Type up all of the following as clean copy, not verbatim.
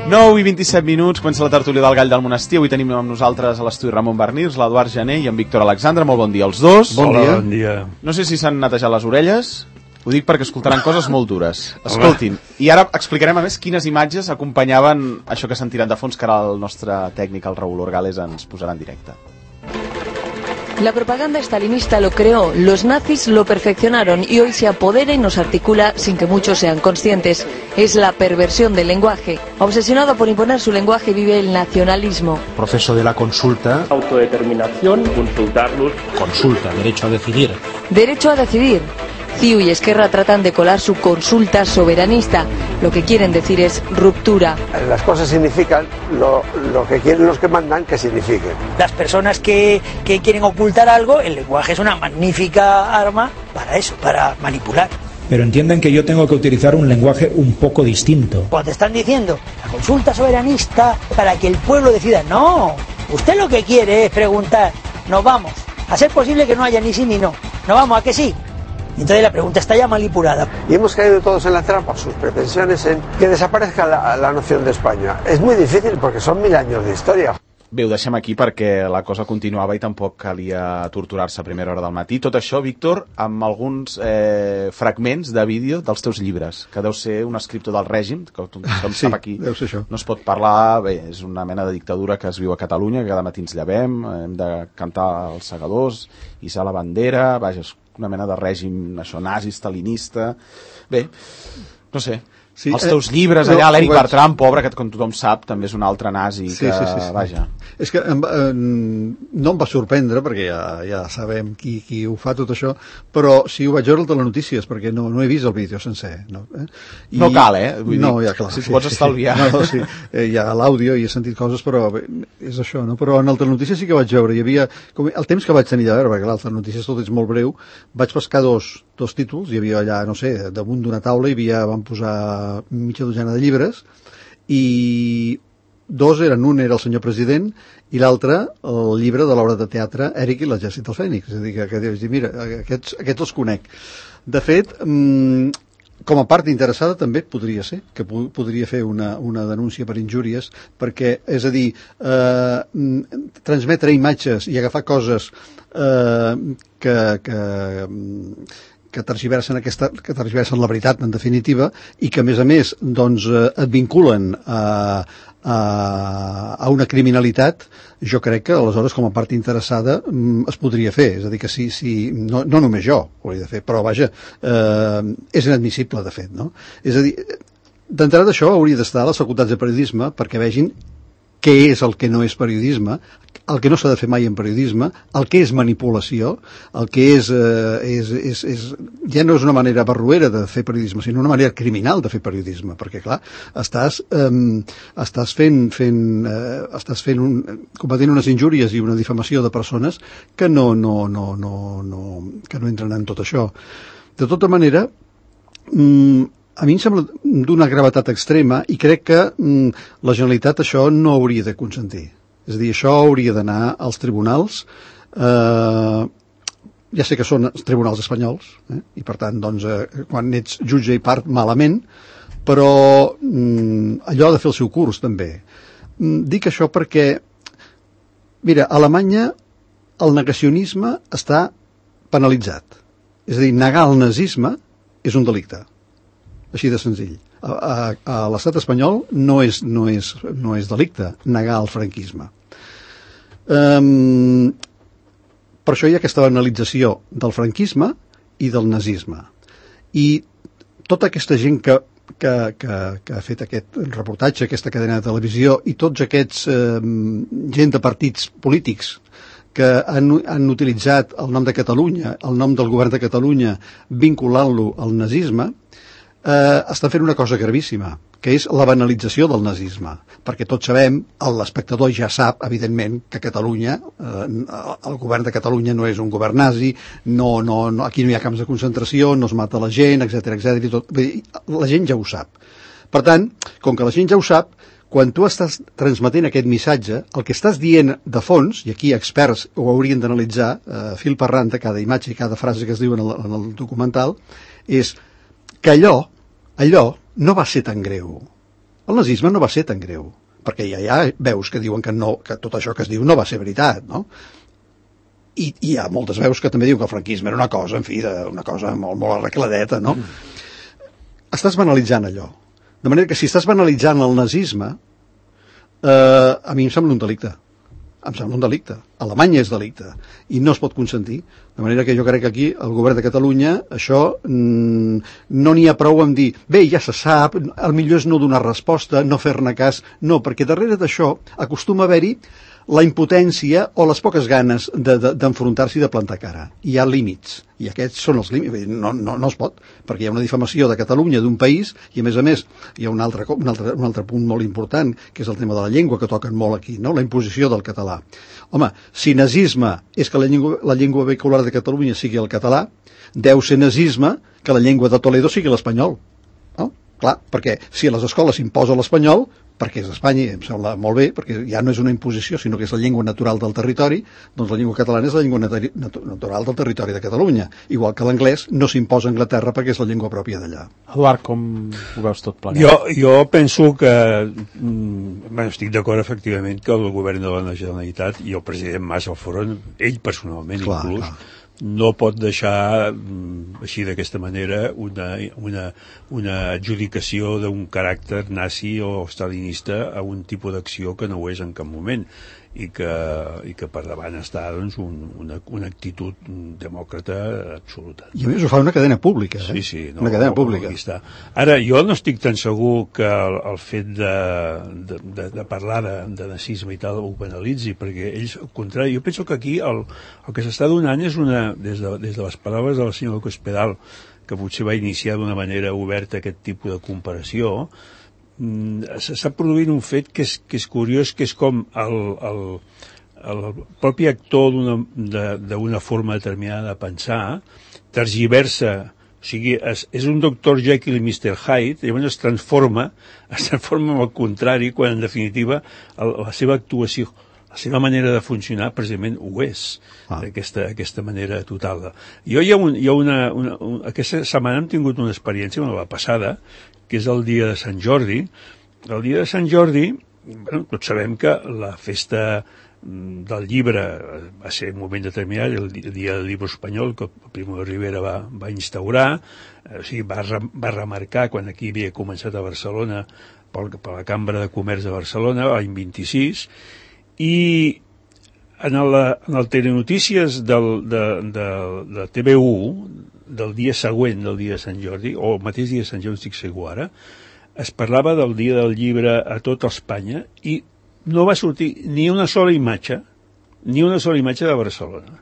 9 i 27 minuts, comença la tertúlia del Gall del Monestir. Avui tenim amb nosaltres a l'estudi Ramon Barnirs, l'Eduard Gené i en Víctor Alexandre. Molt bon dia als dos. Bon dia. Bon dia. No sé si s'han netejat les orelles, ho dic perquè escoltaran coses molt dures. Escoltin, i ara explicarem a més quines imatges acompanyaven això que sentiran de fons, que ara el nostre tècnic, el Raúl Orgales, ens posarà en directe. La propaganda estalinista lo creó, los nazis lo perfeccionaron y hoy se apodera y nos articula sin que muchos sean conscientes. Es la perversión del lenguaje. Obsesionado por imponer su lenguaje vive el nacionalismo. Proceso de la consulta. Autodeterminación, consultarlos. Consulta, derecho a decidir. Derecho a decidir. CiU y Esquerra tratan de colar su consulta soberanista. Lo que quieren decir es ruptura. Las cosas significan lo que quieren los que mandan que signifiquen. Las personas que quieren ocultar algo, el lenguaje es una magnífica arma para eso, para manipular. Pero entienden que yo tengo que utilizar un lenguaje un poco distinto. Cuando te están diciendo la consulta soberanista para que el pueblo decida, no, usted lo que quiere es preguntar, nos vamos, a ser posible que no haya ni sí ni no, nos vamos a que sí. Entonces la pregunta está ya manipulada. Y hemos caído todos en la trampa, sus pretensiones en que desaparezca la noción de España. Es muy difícil porque son 1000 años de historia. Bé, ho deixem aquí perquè la cosa continuava i tampoc calia torturar-se a primera hora del matí. Tot això, Víctor, amb alguns fragments de vídeo dels teus llibres, que deu ser un escriptor del règim, que tothom sap aquí. Deu ser això. No es pot parlar, bé, és una mena de dictadura que es viu a Catalunya, que cada matí ens llevem, hem de cantar els segadors, hissar la bandera, vaja, és una mena de règim, això, nazi, stalinista. Bé, no sé. Sí, els teus llibres allà, l'Eric Bertran, pobre, que com tothom sap, també és un altre nazi, que, vaja. És que no em va sorprendre, perquè ja sabem qui ho fa tot això, però sí ho vaig veure al Telenotícies, perquè no he vist el vídeo sencer. No cal, vull dir, ja, clar, si pots estalviar. No, sí, hi ha l'àudio i he sentit coses, però bé, és això, no? Però en el Telenotícies sí que vaig veure, hi havia, el temps que vaig tenir de veure, perquè el Telenotícies tot és molt breu, vaig pescar dos títols, hi havia allà, no sé, damunt d'una taula van posar mitja dotzena de llibres i un era el senyor president i l'altre el llibre de l'obra de teatre Eric i l'exèrcit del Fènix, és a dir, que dius, mira, aquests els conec. De fet, com a part interessada també podria ser, que podria fer una denúncia per injúries, perquè, és a dir, transmetre imatges i agafar coses que tergiversen la veritat, en definitiva, i que, a més, doncs, et vinculen a una criminalitat, jo crec que, aleshores, com a part interessada, es podria fer. És a dir, que no només jo ho hauria de fer, però, vaja, és inadmissible, de fet, no? És a dir, d'entrada d'això hauria d'estar a les facultats de periodisme perquè vegin què és el que no és periodisme, el que no s'ha de fer mai en periodisme, el que és manipulació, el que ja no és una manera barroera de fer periodisme, sinó una manera criminal de fer periodisme, perquè, clar, estàs cometent unes injúries i una difamació de persones que no entren en tot això. De tota manera, a mi em sembla d'una gravetat extrema i crec que la Generalitat això no hauria de consentir. És a dir, això hauria d'anar als tribunals, ja sé que són els tribunals espanyols, i per tant, doncs, quan ets jutge i part, malament, però allò ha de fer el seu curs, també. Dic això perquè, mira, a Alemanya el negacionisme està penalitzat. És a dir, negar el nazisme és un delicte. Així de senzill. A l'estat espanyol no és delicte negar el franquisme. Per això hi ha aquesta banalització del franquisme i del nazisme. I tota aquesta gent que ha fet aquest reportatge, aquesta cadena de televisió, i tots aquests gent de partits polítics que han utilitzat el nom de Catalunya, el nom del govern de Catalunya, vinculant-lo al nazisme, estan fent una cosa gravíssima, que és la banalització del nazisme, perquè tots sabem, l'espectador ja sap, evidentment, que Catalunya, el govern de Catalunya no és un govern nazi, aquí no hi ha camps de concentració, no es mata la gent, etc. La gent ja ho sap. Per tant, com que la gent ja ho sap, quan tu estàs transmetent aquest missatge, el que estàs dient de fons, i aquí experts ho haurien d'analitzar, fil per randa, cada imatge i cada frase que es diu en el documental, és que allò no va ser tan greu. El nazisme no va ser tan greu, perquè ja veus que diuen que tot això que es diu no va ser veritat, no? I hi ha moltes veus que també diuen que el franquisme era una cosa, en fi, una cosa molt, molt arregladeta, no? Estàs banalitzant allò. De manera que si estàs banalitzant el nazisme, a mi em sembla un delicte. Em sembla un delicte. Alemanya és delicte i no es pot consentir. De manera que jo crec que aquí el govern de Catalunya això no n'hi ha prou en dir bé, ja se sap, el millor és no donar resposta, no fer-ne cas, no, perquè darrere d'això acostuma a haver-hi la impotència o les poques ganes d'enfrontar-s'hi i de plantar cara. Hi ha límits, i aquests són els límits. No es pot, perquè hi ha una difamació de Catalunya, d'un país, i a més hi ha un altre punt molt important, que és el tema de la llengua, que toquen molt aquí, no? La imposició del català. Home, si nazisme és que la llengua vehicular de Catalunya sigui el català, deu ser nazisme que la llengua de Toledo sigui l'espanyol. No? Clar, perquè si a les escoles s'imposa l'espanyol, perquè és Espanya, i em sembla molt bé, perquè ja no és una imposició, sinó que és la llengua natural del territori, doncs la llengua catalana és la llengua natural del territori de Catalunya, igual que l'anglès no s'imposa a Anglaterra perquè és la llengua pròpia d'allà. Eduard, com ho veus tot plegat? Jo penso que estic d'acord efectivament que el govern de la Generalitat i el president Mas al front, ell personalment inclús, no pot deixar així d'aquesta manera una adjudicació d'un caràcter nazi o stalinista a un tipus d'acció que no ho és en cap moment i que per davant està doncs, una actitud demòcrata absoluta. I a més ho fa una cadena pública. Sí, una cadena pública. Ara, jo no estic tan segur que el fet de parlar de nazisme i tal ho penalitzi, perquè ells, al contrari, jo penso que aquí el que s'està donant és des de les paraules del senyor Cospedal, que potser va iniciar d'una manera oberta aquest tipus de comparació, s'està produint un fet que és curiós, que és com el propi actor d'una forma determinada de pensar tergiversa, o sigui, és un Dr. Jekyll i Mr. Hyde, i llavors es transforma en el contrari, quan en definitiva la seva actuació, la seva manera de funcionar precisament ho és, d'aquesta manera total. Jo aquesta setmana hem tingut una experiència, la passada, que és el dia de Sant Jordi. El dia de Sant Jordi, tots sabem que la festa del llibre va ser un moment determinat, el dia del llibre espanyol, que Primo de Rivera va instaurar, o sigui, va remarcar quan aquí havia començat a Barcelona, per la Cambra de Comerç de Barcelona, l'any 26, i en el Telenotícies de TV1, del dia següent del dia de Sant Jordi, o el mateix dia de Sant Jordi, estic segur ara, es parlava del dia del llibre a tota Espanya i no va sortir ni una sola imatge de Barcelona.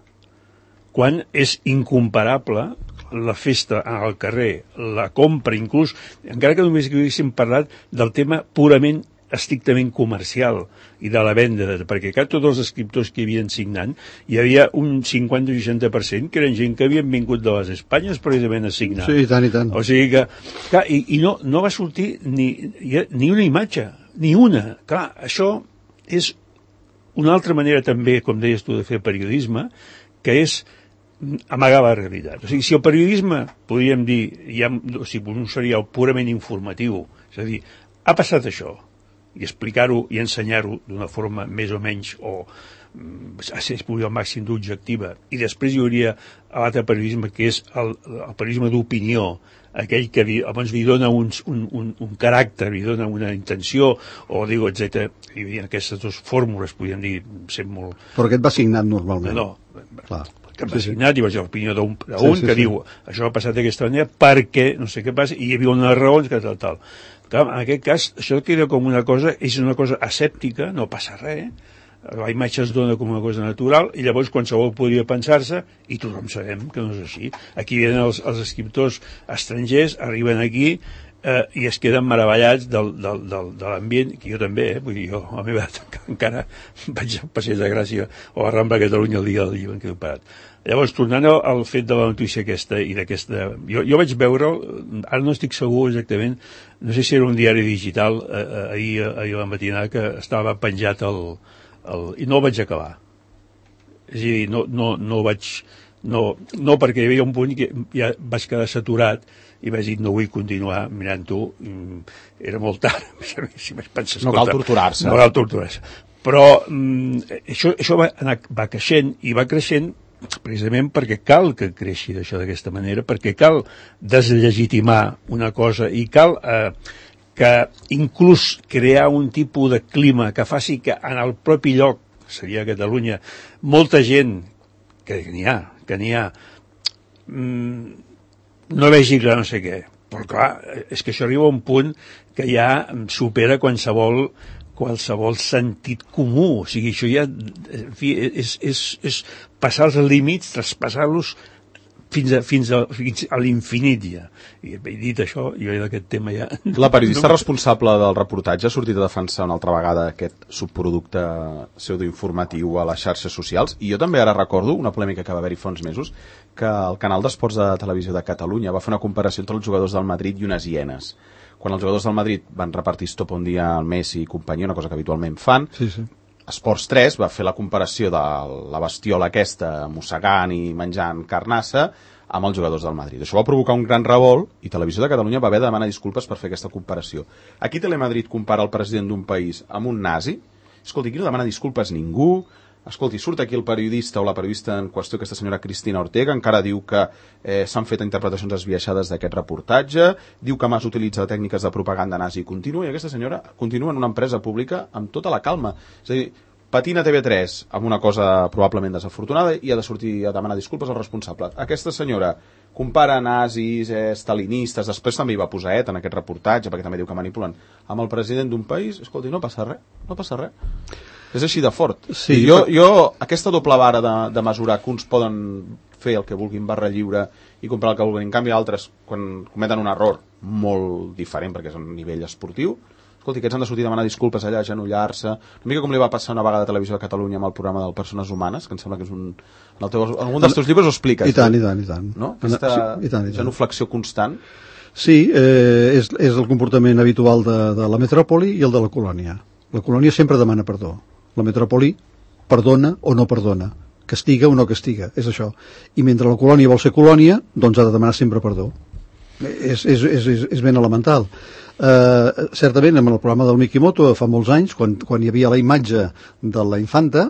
Quan és incomparable la festa al carrer, la compra, inclús, encara que només haguéssim parlat del tema purament estrictament comercial i de la venda, perquè tots els escriptors que hi havien signant, hi havia un 50 o 60% que eren gent que havien vingut de les Espanyes precisament a signar. Sí, i tant. O sigui que, clar, i no va sortir ni una imatge, ni una. Clar, això és una altra manera també, com deies tu, de fer periodisme, que és amagar la realitat. O sigui, si el periodisme, podríem dir, un seria el purament informatiu, és a dir, ha passat això, i explicar-ho i ensenyar-ho d'una forma més o menys, o si es pugui al màxim d'objectiva, i després hi hauria l'altre periodisme, que és el periodisme d'opinió, aquell que abans li dona un caràcter, li dona una intenció, o digo, etc. Hi havia aquestes dues fórmules, podríem dir, sent molt... Però aquest va signat normalment. No. Clar. Que va signat, i va ser l'opinió d'un que diu això ha passat d'aquesta manera perquè no sé què passa, i hi havia unes raons que tal. Clar, en aquest cas, això queda com una cosa, és una cosa asèptica, no passa res, la imatge es dona com una cosa natural, i llavors qualsevol podria pensar-se, i tothom sabem que no és així. Aquí venen els escriptors estrangers, arriben aquí, i es queden meravellats de l'ambient, que jo també, vull dir, jo a la meva edat encara vaig al Passeig de Gràcia o a Rambla Catalunya el dia del llibre en què he parat. Llavors, tornant al fet de la notícia aquesta i d'aquesta... Jo vaig veure, ara no estic segur exactament, no sé si era un diari digital, ahir a la matinada, que estava penjat i no el vaig acabar. És a dir, no vaig No, perquè hi havia un punt que ja vaig quedar saturat i vaig dir, no vull continuar mirant-ho, era molt tard, si vaig pensar, no cal torturar-se. No cal torturar-se. Però això va creixent, i va creixent precisament perquè cal que creixi d'això d'aquesta manera, perquè cal deslegitimar una cosa i cal que inclús crear un tipus de clima que faci que en el propi lloc, seria Catalunya, molta gent, que n'hi ha, no vegi clar no sé què. Però clar, és que això arriba a un punt que ja supera qualsevol sentit comú. O sigui, això ja, en fi, és passar els límits, traspassar-los fins a l'infinit ja. I dit això, jo d'aquest tema ja... La periodista responsable del reportatge ha sortit a defensar una altra vegada aquest subproducte pseudoinformatiu a les xarxes socials, i jo també ara recordo una polèmica que va haver-hi fa uns mesos, que el canal d'esports de televisió de Catalunya va fer una comparació entre els jugadors del Madrid i unes hienes. Quan els jugadors del Madrid van repartir estopa un dia al Messi i companyia, una cosa que habitualment fan, sí. Esports 3 va fer la comparació de la bestiola aquesta mossegant i menjant carnassa amb els jugadors del Madrid. Això va provocar un gran revolt i Televisió de Catalunya va haver de demanar disculpes per fer aquesta comparació. Aquí Telemadrid compara el president d'un país amb un nazi. Escolti, aquí no demana disculpes ningú. Escolti, surt aquí el periodista o la periodista en qüestió, aquesta senyora Cristina Ortega, encara diu que s'han fet interpretacions esbiaixades d'aquest reportatge, diu que Mas utilitza tècniques de propaganda nazi i continua, i aquesta senyora continua en una empresa pública amb tota la calma. És a dir, patina TV3 amb una cosa probablement desafortunada i ha de sortir a demanar disculpes al responsable. Aquesta senyora compara nazis, stalinistes, després també hi va posar en aquest reportatge, perquè també diu que manipulen, amb el president d'un país. Escolti, no passa res. És així de fort. Sí, jo aquesta doble vara de mesurar que uns poden fer el que vulguin, barra lliure, i comprar el que vulguin, en canvi altres, quan cometen un error molt diferent, perquè és a nivell esportiu, escolti, aquests han de sortir a demanar disculpes allà, agenollar-se, una mica com li va passar una vegada a Televisió de Catalunya amb el programa del Persones Humanes, que em sembla que és algun dels teus llibres ho expliques. I tant. No? Aquesta genuflexió constant. Sí, és el comportament habitual de la metròpoli i el de la colònia. La colònia sempre demana perdó. La metròpoli perdona o no perdona, castiga o no castiga, és això. I mentre la colònia vol ser colònia, doncs ha de demanar sempre perdó. És ben elemental. Certament, amb el programa del Mikimoto, fa molts anys, quan hi havia la imatge de la infanta,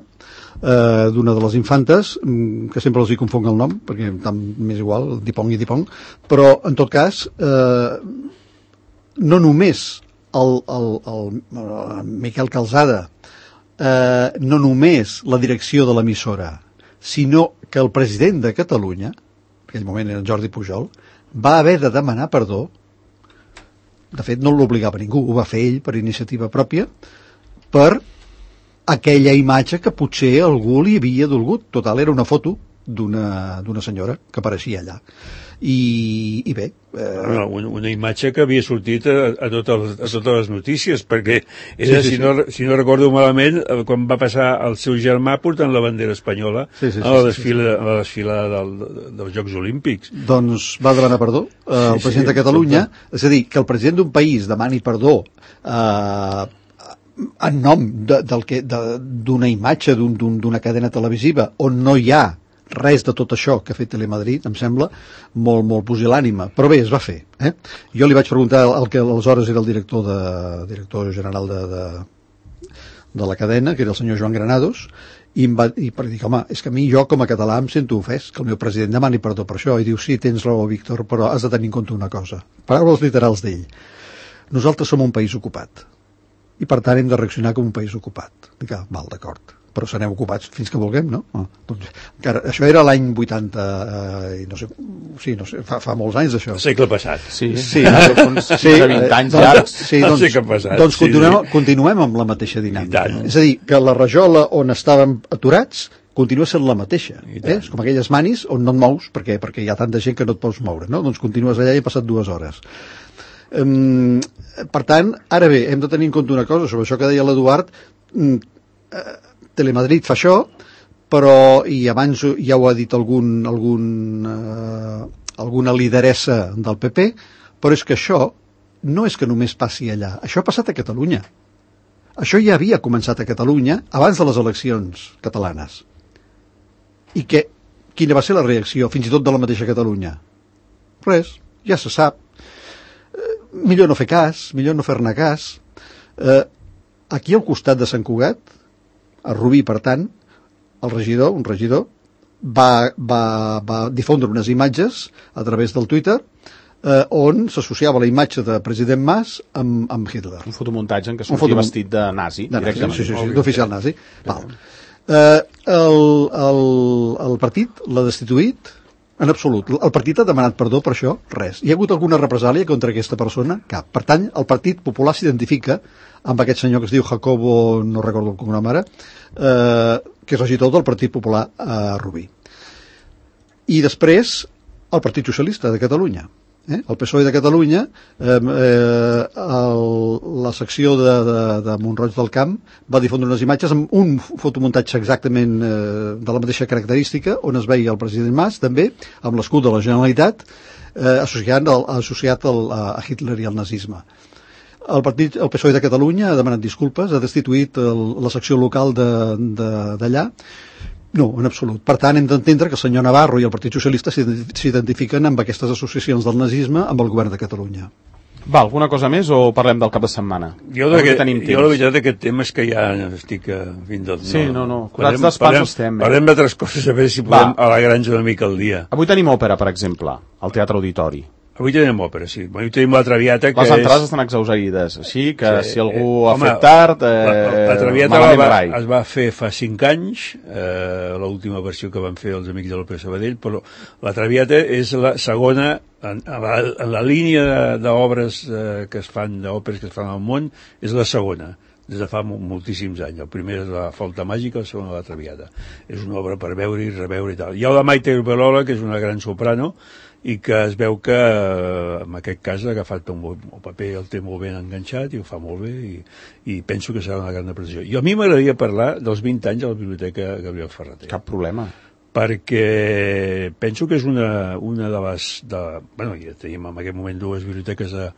d'una de les infantes, que sempre els hi confonc el nom, perquè m'és igual, Dipong i Dipong, però, en tot cas, no només el Miquel Calzada, no només la direcció de l'emissora, sinó que el president de Catalunya, en aquell moment era en Jordi Pujol, va haver de demanar perdó. De fet, no l'obligava ningú, ho va fer ell per iniciativa pròpia, per aquella imatge que potser algú li havia dolgut. Total, era una foto d'una senyora que apareixia allà. I bé... Una imatge que havia sortit a totes les notícies, perquè era, si no recordo malament, quan va passar el seu germà portant la bandera espanyola a la desfilada dels Jocs Olímpics. Doncs va demanar perdó el president de Catalunya, és a dir, que el president d'un país demani perdó en nom d'una imatge d'una cadena televisiva on no hi ha res de tot això que ha fet Telemadrid, em sembla molt pusil·lànime, però bé, es va fer. Jo li vaig preguntar al que aleshores era el director general de la cadena, que era el senyor Joan Granados, i per dir, home, és que a mi, jo com a català em sento ofès que el meu president demani perdó per això, i diu, sí, tens raó, Víctor, però has de tenir en compte una cosa. Paraules literals d'ell. Nosaltres som un país ocupat, i per tant hem de reaccionar com un país ocupat. Dic, val, d'acord, però serem ocupats fins que vulguem, no? Doncs, encara, això era l'any 80 i no sé, fa molts anys d'això. El segle passat. Sí, 20 anys llargs. Sí, doncs continuem amb la mateixa dinàmica. És a dir, que la rajola on estàvem aturats continua sent la mateixa. És com aquelles manis on no et mous perquè hi ha tanta gent que no et pots moure, no? Doncs continues allà i han passat 2 hores. Per tant, ara bé, hem de tenir en compte una cosa sobre això que deia l'Eduard. Telemadrid fa això, però, i abans ja ho ha dit alguna lideressa del PP, però és que això no és que només passi allà, això ha passat a Catalunya. Això ja havia començat a Catalunya abans de les eleccions catalanes. I que quina va ser la reacció, fins i tot de la mateixa Catalunya? Res, ja se sap. Millor no fer cas, millor no fer-ne cas. Aquí al costat de Sant Cugat, a Rubí, per tant, un regidor, va difondre unes imatges a través del Twitter on s'associava la imatge de president Mas amb Hitler. Un fotomuntatge en què sortia vestit de nazi. Sí, d'oficial nazi. El partit l'ha destituït en absolut. El partit ha demanat perdó per això? Res. Hi ha hagut alguna represàlia contra aquesta persona? Cap. Per tant, el Partit Popular s'identifica amb aquest senyor que es diu Jacobo, no recordo el cognom ara, que és regidor del Partit Popular a Rubí. I després, el Partit Socialista de Catalunya. El PSOE de Catalunya, la secció de Mont-roig del Camp va difondre unes imatges amb un fotomuntatge exactament de la mateixa característica, on es veia el president Mas, també, amb l'escut de la Generalitat, associat a Hitler i al nazisme. El PSOE de Catalunya ha demanat disculpes, ha destituït la secció local d'allà. No, en absolut. Per tant, hem d'entendre que el senyor Navarro i el Partit Socialista s'identifiquen amb aquestes associacions del nazisme amb el govern de Catalunya. Va, alguna cosa més o parlem del cap de setmana? Jo la veritat d'aquest tema és que ja estic fins del... Sí, no. Curats d'espans estem. Parlem d'altres coses, a veure si podem alegrar-nos una mica el dia. Avui tenim òpera, per exemple, al Teatre Auditori. Avui tenim òpera, sí. Avui tenim la Traviata, que les entrades estan exhausterides, així que si algú ha fet tard, la Traviata es va fer fa 5 anys, l'última versió que van fer els amics de l'Òpera Sabadell, però la Traviata és la segona, en la línia d'obres que es fan, d'òperes que es fan al món, és la segona, des de fa moltíssims anys. El primer és la Flauta Màgica, el segon la Traviata. És una obra per veure i reveure i tal. Hi ha la Maite Urbalola, que és una gran soprano, i que es veu que en aquest cas ha agafat el paper, el té molt ben enganxat i ho fa molt bé i penso que serà una gran aprecio. I a mi m'agradaria parlar dels 20 anys a la Biblioteca Gabriel Ferrater. Cap problema. Perquè penso que és una de les... Bueno, ja tenim en aquest moment 2 biblioteques a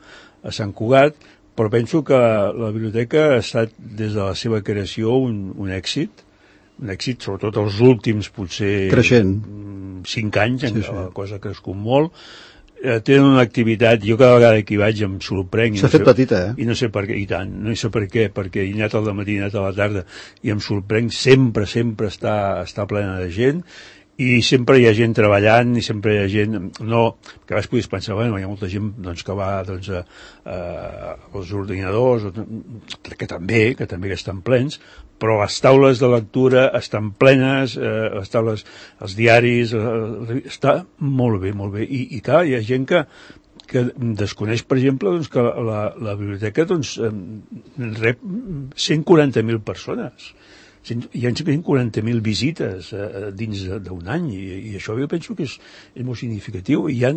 Sant Cugat, però penso que la biblioteca ha estat des de la seva creació un èxit, sobretot els últims, potser... Creixent. 5 anys, la cosa ha crescut molt. Tenen una activitat, jo cada vegada que hi vaig em sorprenc. S'ha fet petita, I no sé per què, i tant, no sé per què, perquè he anat al matí, he anat a la tarda, i em sorprenc, sempre està plena de gent, i sempre hi ha gent treballant, i sempre hi ha gent... No, que a vegades podries pensar, bueno, hi ha molta gent que va als ordinadors, que també estan plens, però les taules de lectura estan plenes, les taules, els diaris, està molt bé, molt bé. I clar, hi ha gent que desconeix, per exemple, que la biblioteca rep 140.000 persones. Hi ha 140.000 visites dins d'un any i això jo penso que és molt significatiu. Hi ha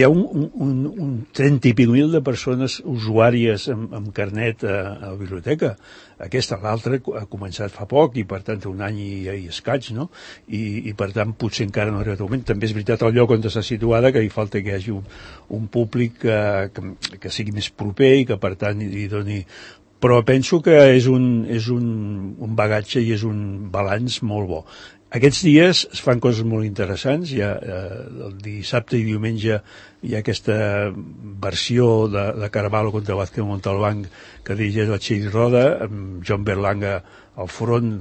un 30 i pico mil de persones usuàries amb carnet a la biblioteca. L'altra ha començat fa poc i per tant un any i escaig, no? I per tant potser encara no ha arribat a moment. També és veritat el lloc on està situada que hi falta que hi hagi un públic que sigui més proper i que per tant hi doni... Però penso que és un bagatge i és un balanç molt bo. Aquests dies es fan coses molt interessants. El dissabte i diumenge hi ha aquesta versió de Carvalho contra Vázquez Montalbán que dirigeix la Txell Roda, amb John Berlanga al front.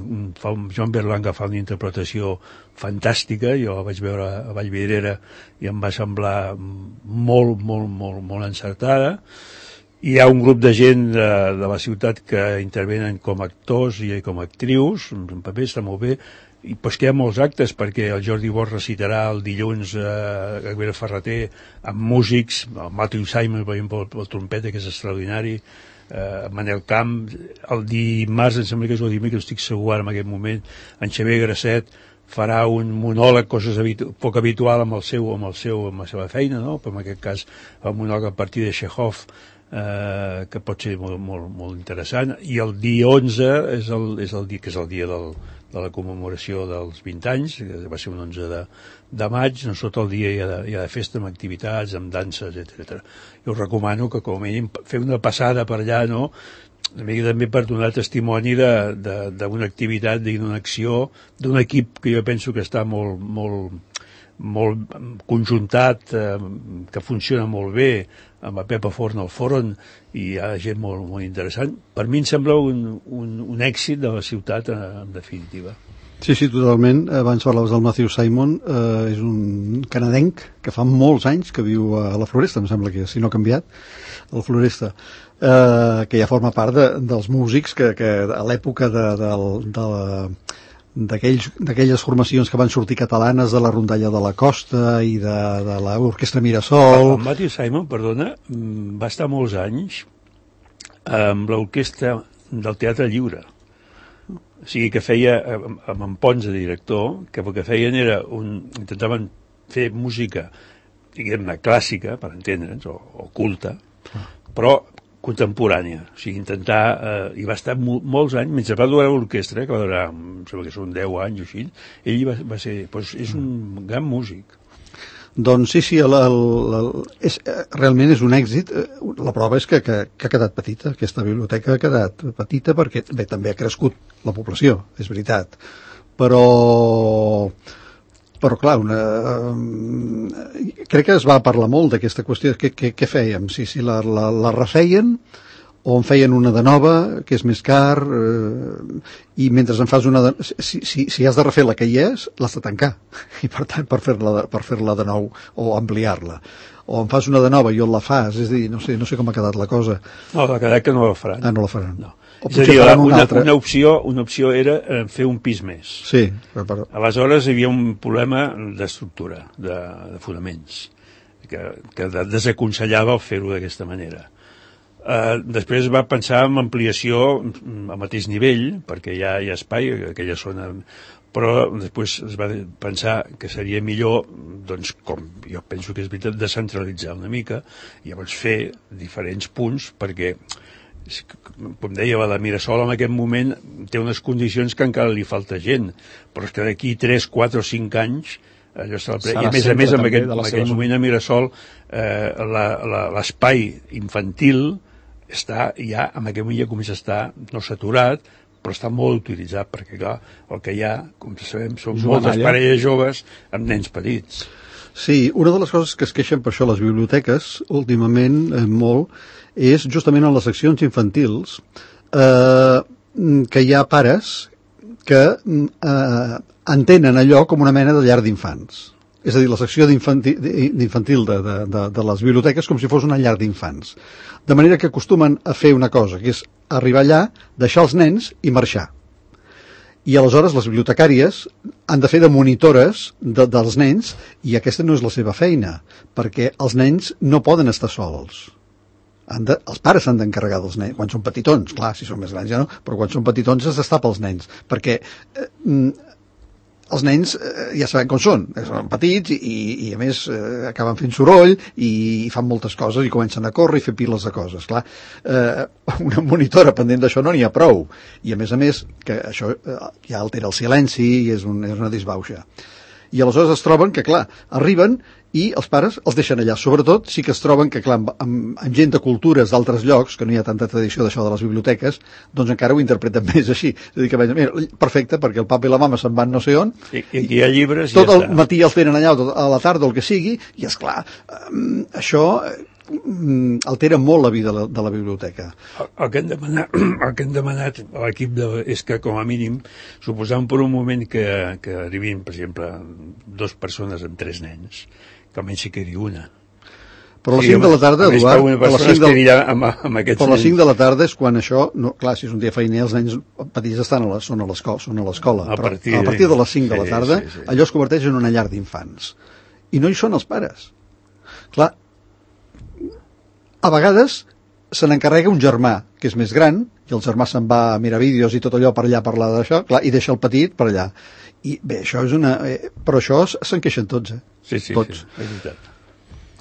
John Berlanga fa una interpretació fantàstica, jo la vaig veure a Vallvidrera i em va semblar molt, molt, molt, molt encertada. Hi ha un grup de gent de la ciutat que intervenen com a actors i com a actrius, un paper està molt bé, i pues que hi ha molts actes, perquè el Jordi Bosch recitarà el dilluns a Gabriel Ferrater amb músics, el Matthew Simon, per exemple, el trompeta, que és extraordinari, Manel Camp, el dimarts, em sembla que és el dimecres, estic segur ara en aquest moment, en Xavier Grasset farà un monòleg, coses poc habitual amb la seva feina, no? Però en aquest cas el monòleg a partir de Chekhov, que pot ser molt, molt, molt interessant. I el dia 11 és el dia que és el dia la commemoració dels 20 anys, que va ser un 11 de maig, no tot el dia hi ha de festa amb activitats, amb danses, etc. Jo us recomano que com a mínim fer una passada per allà, no?, també per donar testimoni d'una activitat, d'una acció, d'un equip que jo penso que està molt conjuntat, que funciona molt bé, amb la Pepa Forn al Forn, i hi ha gent molt interessant. Per mi em sembla un èxit de la ciutat, en definitiva. Sí, totalment. Abans parlaves del Matthew Simon, és un canadenc que fa molts anys que viu a la Floresta, em sembla que, si no ha canviat, a la Floresta, que ja forma part dels músics que a l'època d'aquelles formacions que van sortir catalanes, de la Rondalla de la Costa i de l'Orquestra Mirasol. El Matthew Simon, perdona, va estar molts anys amb l'orquestra del Teatre Lliure. O sigui que feia, amb en Pons de director, que el que feien era intentaven fer música, diguem-ne, clàssica, per entendre'ns, o culta, però contemporània. O sigui, intentar... I va estar molts anys, mentre va durar l'orquestra, que va durar, em sembla que són 10 anys o així, ell va ser... Doncs és un gran músic. Doncs sí, realment és un èxit. La prova és que ha quedat petita, aquesta biblioteca ha quedat petita perquè bé, també ha crescut la població, és veritat. Però clar, crec que es va parlar molt d'aquesta qüestió. Què fèiem? Si la refeien o en feien una de nova, que és més car, i mentre en fas una de... Si has de refer la que hi és, l'has de tancar, i per tant per fer-la de nou o ampliar-la. O en fas una de nova i on la fas, és a dir, no sé com ha quedat la cosa. No, ha quedat que no la faran. Ah, no la faran. No. És a dir, una opció era fer un pis més. Sí. Aleshores hi havia un problema d'estructura, de fonaments, que desaconsellava fer-ho d'aquesta manera. Després va pensar en ampliació al mateix nivell, perquè hi ha espai, aquella zona, però després es va pensar que seria millor, doncs, com jo penso que és veritat, descentralitzar una mica, i llavors fer diferents punts, perquè, com deia, la Mirasol en aquest moment té unes condicions que encara li falta gent, però és que d'aquí 3, 4 o 5 anys allò i a més en aquell moment a Mirasol l'espai infantil està ja, en aquell moment ja comença a estar no saturat, però està molt utilitzat, perquè clar, el que hi ha, com sabem, són moltes parelles joves amb nens petits. Sí, una de les coses que es queixen per això les biblioteques, últimament, molt, és justament en les seccions infantils que hi ha pares que entenen allò com una mena de llar d'infants. És a dir, la secció d'infantil de les biblioteques com si fos una llar d'infants. De manera que acostumen a fer una cosa, que és arribar allà, deixar els nens i marxar. I aleshores les bibliotecàries han de fer de monitores dels nens, i aquesta no és la seva feina, perquè els nens no poden estar sols. Els pares s'han d'encarregar dels nens, quan són petitons, clar, si són més grans ja no, però quan són petitons es destapa els nens, perquè els nens ja sabem com són petits i a més acaben fent soroll i fan moltes coses i comencen a córrer i fer piles de coses. Clar, una monitora pendent d'això no n'hi ha prou, i a més que això ja altera el silenci i és una disbauxa. I aleshores es troben que, clar, arriben i els pares els deixen allà. Sobretot sí que es troben que, clar, amb gent de cultures d'altres llocs, que no hi ha tanta tradició d'això de les biblioteques, doncs encara ho interpreten més així. És a dir, que mira, perfecte, perquè el papa i la mama se'n van no sé on, i aquí hi ha llibres tot el matí els tenen allà, a la tarda o el que sigui, i esclar, això altera molt la vida de la biblioteca. El que hem demanat a l'equip és que, com a mínim, suposant per un moment que arribin, per exemple, 2 persones amb 3 nens, que almenys hi quedi una. Però a les 5 de la tarda, Eduard, però les 5 de la tarda és quan això, no, clar, si és un dia feiner, els nens petits són a l'escola, però a partir de les 5 de la tarda allò es converteix en una llar d'infants. I no hi són els pares. Clar, a vegades se n'encarrega un germà, que és més gran, i el germà se'n va a mirar vídeos i tot allò per allà parlar d'això, clar, i deixa el petit per allà. I bé, això és una... però això se'n queixen tots, Sí, tots. és veritat.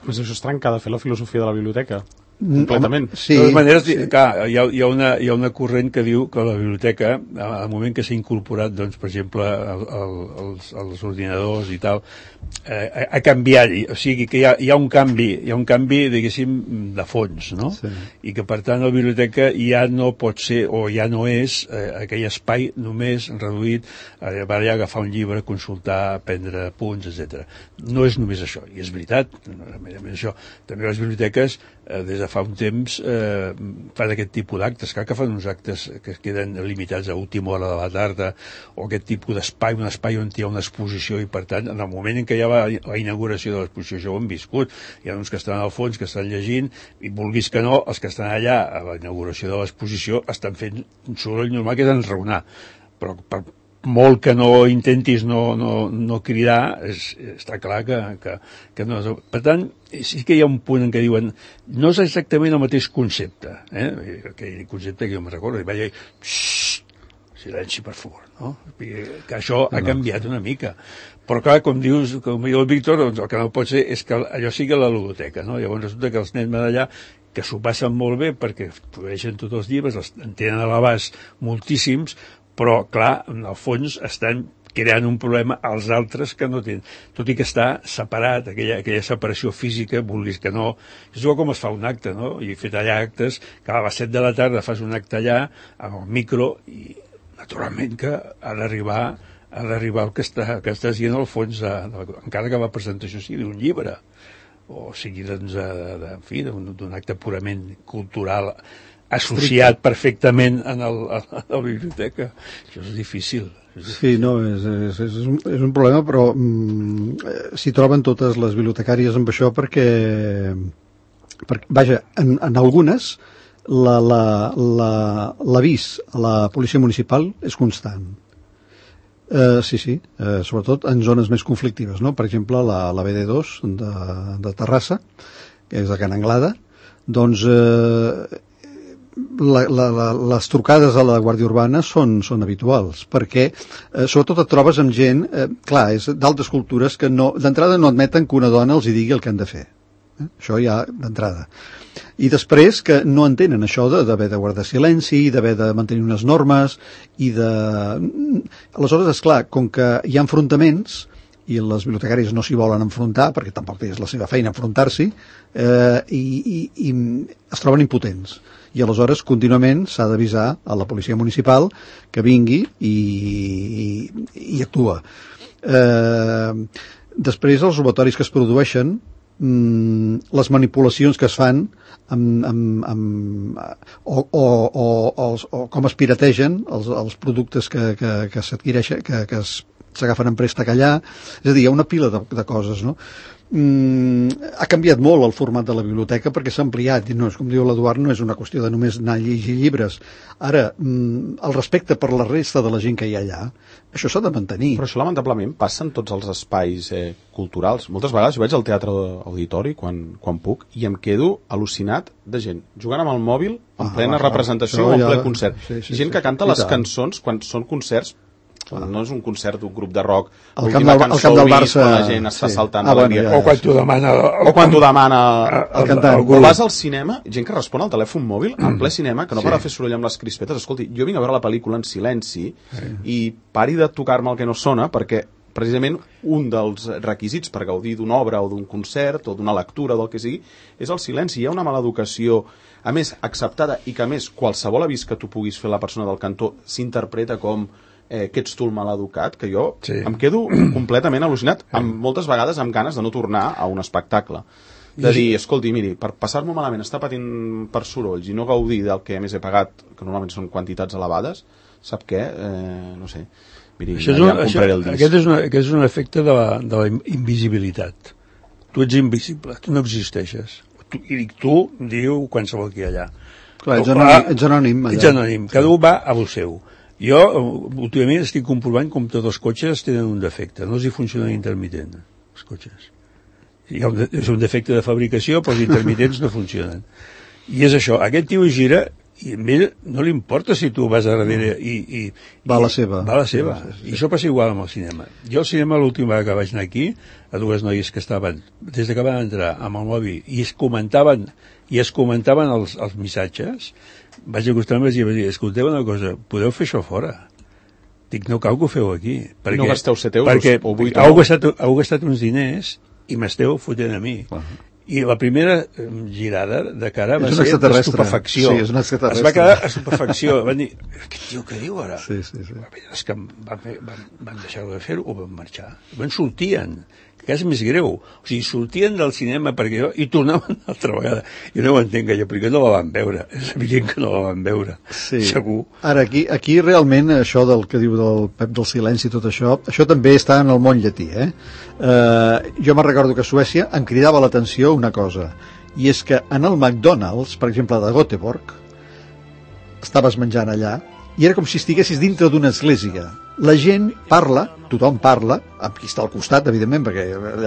Pues això és trencar de fer la filosofia de la biblioteca. completament. Sí, de totes maneres, sí. clar, hi ha una corrent que diu que la biblioteca, al moment que s'ha incorporat, doncs, per exemple, els ordinadors i tal, ha canviat, o sigui que hi ha un canvi, diguéssim, de fons, no? Sí. I que, per tant, la biblioteca ja no pot ser, o ja no és, aquell espai només reduït a allà agafar un llibre, consultar, prendre punts, etc. No és només això, i és veritat, a més això, també les biblioteques, des de fa un temps, fan aquest tipus d'actes. Clar que fan uns actes que es queden limitats a última hora de la tarda, o aquest tipus d'espai, un espai on hi ha una exposició, i per tant, en el moment en què hi ha la inauguració de l'exposició, això ho hem viscut. Hi ha uns que estan al fons, que estan llegint, i vulguis que no, els que estan allà a la inauguració de l'exposició estan fent un soroll normal que és enraonar. Però per molt que no intentis no cridar, està clar que no. Per tant, sí que hi ha un punt en què diuen no és exactament el mateix concepte, aquell concepte que jo me'n recordo, i vaig dir, silenci, per favor, no? Que això ha canviat una mica. Però clar, com diu el Víctor, doncs el que no pot ser és que allò sigui la ludoteca, no? Llavors resulta que els nens d'allà, que s'ho passen molt bé perquè produeixen tots els llibres, en tenen a l'abast moltíssims, però clar, en el fons estan creant un problema als altres que no tenen, tot i que està separat, aquella separació física, vulguis que no, és igual com es fa un acte, no? I he fet allà actes, que a les 7 de la tarda fas un acte allà, amb el micro, i naturalment que ha d'arribar el que estàs dient al fons, encara que la presentació sigui d'un llibre, o sigui, doncs, en fi, d'un acte purament cultural, associat perfectament a la biblioteca. Això és difícil. Sí, no, és un problema, però s'hi troben totes les bibliotecàries amb això perquè vaja, en algunes l'avís a la policia municipal és constant. Sí, sobretot en zones més conflictives, no? Per exemple, la BD2 de Terrassa, que és de Can Anglada, doncs les trucades a la Guàrdia Urbana són habituals, perquè sobretot et trobes amb gent, clar, és d'altres cultures que d'entrada no admeten que una dona els hi digui el que han de fer. Això ja d'entrada. I després que no entenen això d'haver de guardar silenci, d'haver de mantenir unes normes, i aleshores, esclar, com que hi ha enfrontaments, i les bibliotecàries no s'hi volen enfrontar, perquè tampoc és la seva feina enfrontar-s'hi, i es troben impotents. I aleshores contínuament s'ha d'avisar a la policia municipal que vingui i actua. Després els robatoris que es produeixen, les manipulacions que es fan o com es pirategen els productes que s'adquireixen, que s'agafen en préstec allà, és a dir, hi ha una pila de coses, no? Ha canviat molt el format de la biblioteca perquè s'ha ampliat, i no és, com diu l'Eduard, no és una qüestió de només anar a llegir llibres. Ara, el respecte per la resta de la gent que hi ha allà, això s'ha de mantenir. Però això lamentablement passa en tots els espais culturals. Moltes vegades jo vaig al teatre auditori quan puc i em quedo al·lucinat de gent jugant amb el mòbil en plena representació o en ple concert. Gent que canta les cançons quan són concerts. No és un concert d'un grup de rock, l'última cançó del Barça, quan la gent està saltant o quan t'ho demana el cantant. O vas al cinema, gent que respon al telèfon mòbil en ple cinema, que no para de fer soroll amb les crispetes. Escolti, jo vinc a veure la pel·lícula en silenci i pari de tocar-me el que no sona, perquè precisament un dels requisits per gaudir d'una obra o d'un concert o d'una lectura o del que sigui és el silenci. Hi ha una mala educació, a més acceptada, i que a més qualsevol avís que tu puguis fer a la persona del cantó s'interpreta com que ets tu el maleducat, que jo em quedo completament al·lucinat, moltes vegades amb ganes de no tornar a un espectacle. De dir, escolti, miri, per passar-m'ho malament, estar patint per sorolls i no gaudir del que a més he pagat, que normalment són quantitats elevades, sap què? No sé. Miri, ja em compraré el disc. Aquest és un efecte de la invisibilitat. Tu ets invisible, tu no existeixes. I dic tu, diu qualsevol que hi ha allà. Clar, ets anònim. Ets anònim, cada un va a lo seu. Jo, últimament, estic comprovant com tots els cotxes tenen un defecte. No els hi funciona l'intermitent, els cotxes. És un defecte de fabricació, però els intermitents no funcionen. I és això, aquest tio gira i a ell no li importa si tu vas a darrere i va a la seva. I això passa igual amb el cinema. Jo al cinema l'última vegada que vaig anar aquí, a dues noies que estaven des que van entrar amb el mòbil i es comentaven els missatges, vaig acostar-me i vaig dir, escolteu una cosa, podeu fer això fora? Dic, no cal que ho feu aquí. Perquè, no gasteu 7 euros perquè o 8 euros. Heu gastat uns diners i m'esteu fotent a mi. I la primera girada de cara va ser d'estupefacció. Sí, és una extraterrestre. Es va quedar estupefacció. Van dir, aquest tio què diu ara? Sí. És que van deixar-ho de fer-ho o van marxar. Van sortien, que és més greu. O sigui, sortien del cinema i tornaven una altra vegada. Jo no ho entenc, perquè no la van veure. És evident que no la van veure, sí. Segur. Ara, aquí realment això del que diu del Pep del silenci i tot això també està en el món llatí, jo me'n recordo que a Suècia em cridava l'atenció una cosa, i és que en el McDonald's, per exemple, de Göteborg, estaves menjant allà i era com si estiguessis dintre d'una església. La gent parla, tothom parla, amb qui està al costat, evidentment, perquè...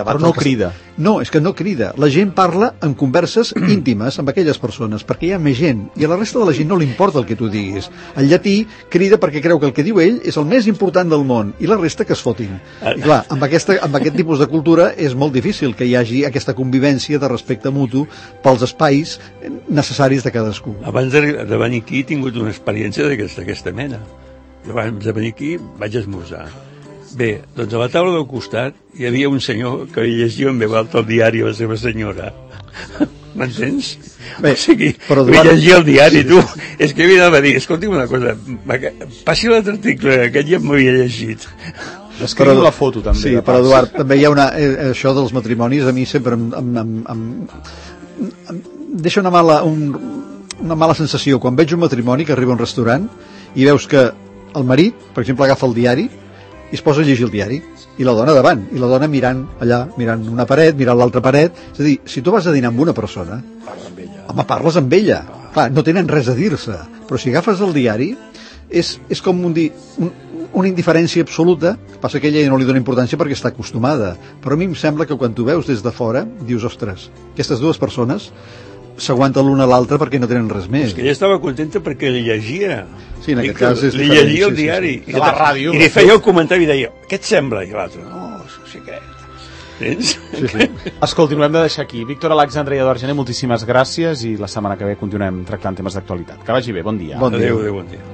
Però no crida. No, és que no crida. La gent parla en converses íntimes amb aquelles persones, perquè hi ha més gent, i a la resta de la gent no li importa el que tu diguis. El llatí crida perquè creu que el que diu ell és el més important del món, i la resta que es fotin. I clar, amb aquest tipus de cultura és molt difícil que hi hagi aquesta convivència de respecte mutu pels espais necessaris de cadascú. Abans de venir aquí he tingut una experiència d'aquesta mena. Abans de venir aquí vaig esmorzar. Bé, doncs a la taula del costat hi havia un senyor que llegia en veu alta el diari a la seva senyora. M'entens? Bé, o sigui, però llegia el diari, tu. És que havia de dir, escolti'm una cosa, passi l'altre article, aquest ja m'ho havia llegit. Escriu la foto, també. Sí, però Eduard, també hi ha això dels matrimonis, a mi sempre em deixa una mala sensació. Quan veig un matrimoni que arriba a un restaurant i veus que el marit, per exemple, agafa el diari i es posa a llegir el diari, i la dona davant, i la dona mirant allà, mirant una paret, mirant l'altra paret. És a dir, si tu vas a dinar amb una persona, parles amb ella. Clar, no tenen res a dir-se, però si agafes el diari és com una indiferència absoluta. Passa que ella no li dona importància perquè està acostumada, però a mi em sembla que quan tu veus des de fora dius, ostres, aquestes dues persones s'aguanten l'una a l'altra perquè no tenen res més. És que ella estava contenta perquè li llegia. Sí, en aquest cas és li llegia el diari. Sí. I la ràdio. I li feia el comentari i deia, què et sembla? I l'altre, no, sí que... Sí. Escolti, ho hem de deixar aquí. Víctor Alexandre i Eduard Gené, moltíssimes gràcies i la setmana que ve continuem tractant temes d'actualitat. Que vagi bé, bon dia. Bon dia. Adéu, bon dia.